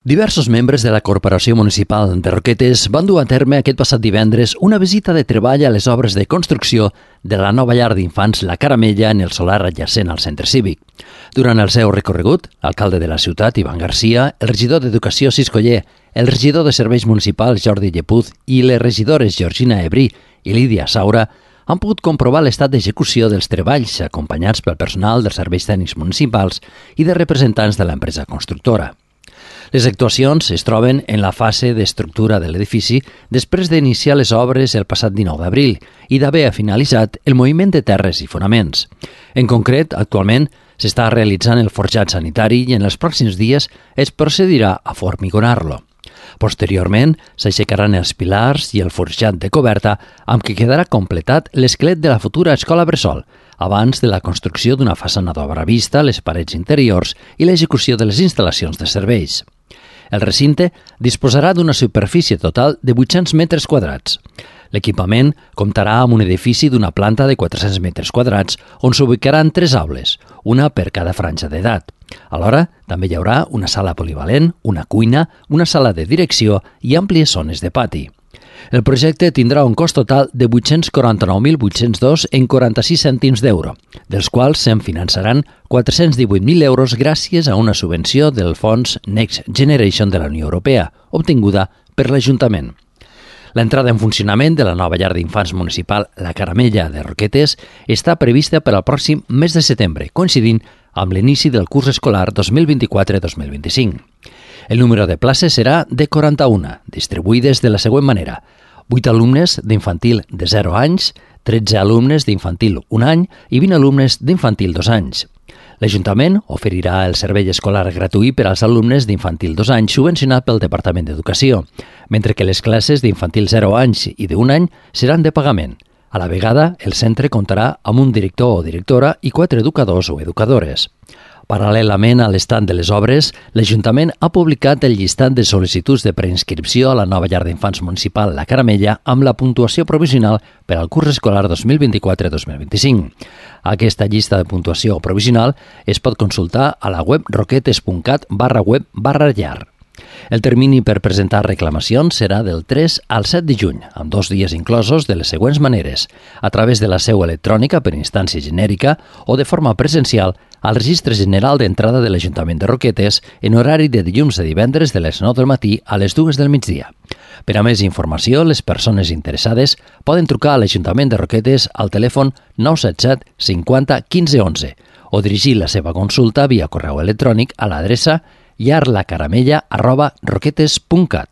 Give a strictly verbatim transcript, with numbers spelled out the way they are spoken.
Diversos membres de la Corporació Municipal de Roquetes van dur a terme aquest passat divendres una visita de treball a les obres de construcció de la nova llar d'infants La Caramella en el solar adjacent al centre cívic. Durant el seu recorregut, l'alcalde de la ciutat, Ivan Garcia, el regidor d'Educació, Cis Coller, el regidor de Serveis Municipals, Jordi Llepuz, i les regidores Georgina Ebrí i Lídia Saura han pogut comprovar l'estat d'execució dels treballs acompanyats pel personal dels serveis tècnics municipals i de representants de l'empresa constructora. Les actuacions es troben en la fase d'estructura de l'edifici després d'iniciar les obres el passat dinou d'abril i d'haver finalitzat el moviment de terres i fonaments. En concret, actualment s'està realitzant el forjat sanitari i en els pròxims dies es procedirà a formigonar-lo. Posteriorment, s'aixecaran els pilars i el forjat de coberta amb què quedarà completat l'esquelet de la futura escola bressol, abans de la construcció d'una façana d'obra vista, les parets interiors i l'execució de les instal·lacions de serveis. El recinte disposarà d'una superfície total de vuit-cents metres quadrats. L'equipament comptarà amb un edifici d'una planta de quatre-cents metres quadrats on s'ubicaran tres aules, una per cada franja d'edat. Alhora, també hi haurà una sala polivalent, una cuina, una sala de direcció i àmplies zones de pati. El projecte tindrà un cost total de vuit-cents quaranta-nou mil vuit-cents dos en quaranta-sis cèntims d'euro, dels quals se'n finançaran quatre-cents divuit mil euros gràcies a una subvenció del fons Next Generation de la Unió Europea, obtinguda per l'Ajuntament. L'entrada en funcionament de la nova llar d'infants municipal La Caramella de Roquetes està prevista per al pròxim mes de setembre, coincidint amb l'inici del curs escolar dos mil vint-i-quatre dos mil vint-i-cinc. El número de places serà de quaranta-una, distribuïdes de la següent manera: vuit alumnes d'infantil de zero anys, tretze alumnes d'infantil un any i vint alumnes d'infantil dos anys. L'Ajuntament oferirà el servei escolar gratuït per als alumnes d'infantil dos anys subvencionat pel Departament d'Educació, mentre que les classes d'infantil zero anys i d'un any seran de pagament. A la vegada, el centre comptarà amb un director o directora i quatre educadors o educadores. Paral·lelament a l'estat de les obres, l'Ajuntament ha publicat el llistat de sol·licituds de preinscripció a la nova llar d'infants municipal La Caramella amb la puntuació provisional per al curs escolar dos mil vint-i-quatre dos mil vint-i-cinc. Aquesta llista de puntuació provisional es pot consultar a la web roquetes punt cat barra web barra llar. El termini per presentar reclamacions serà del tres al set de juny, amb dos dies inclosos de les següents maneres: a través de la seu electrònica per instància genèrica o de forma presencial al Registre General d'Entrada de l'Ajuntament de Roquetes en horari de dilluns a divendres de les nou del matí a les dues del migdia. Per a més informació, les persones interessades poden trucar a l'Ajuntament de Roquetes al telèfon nou set set cinquanta quinze onze o dirigir la seva consulta via correu electrònic a l'adreça llar la caramella arroba roquetes punt cat.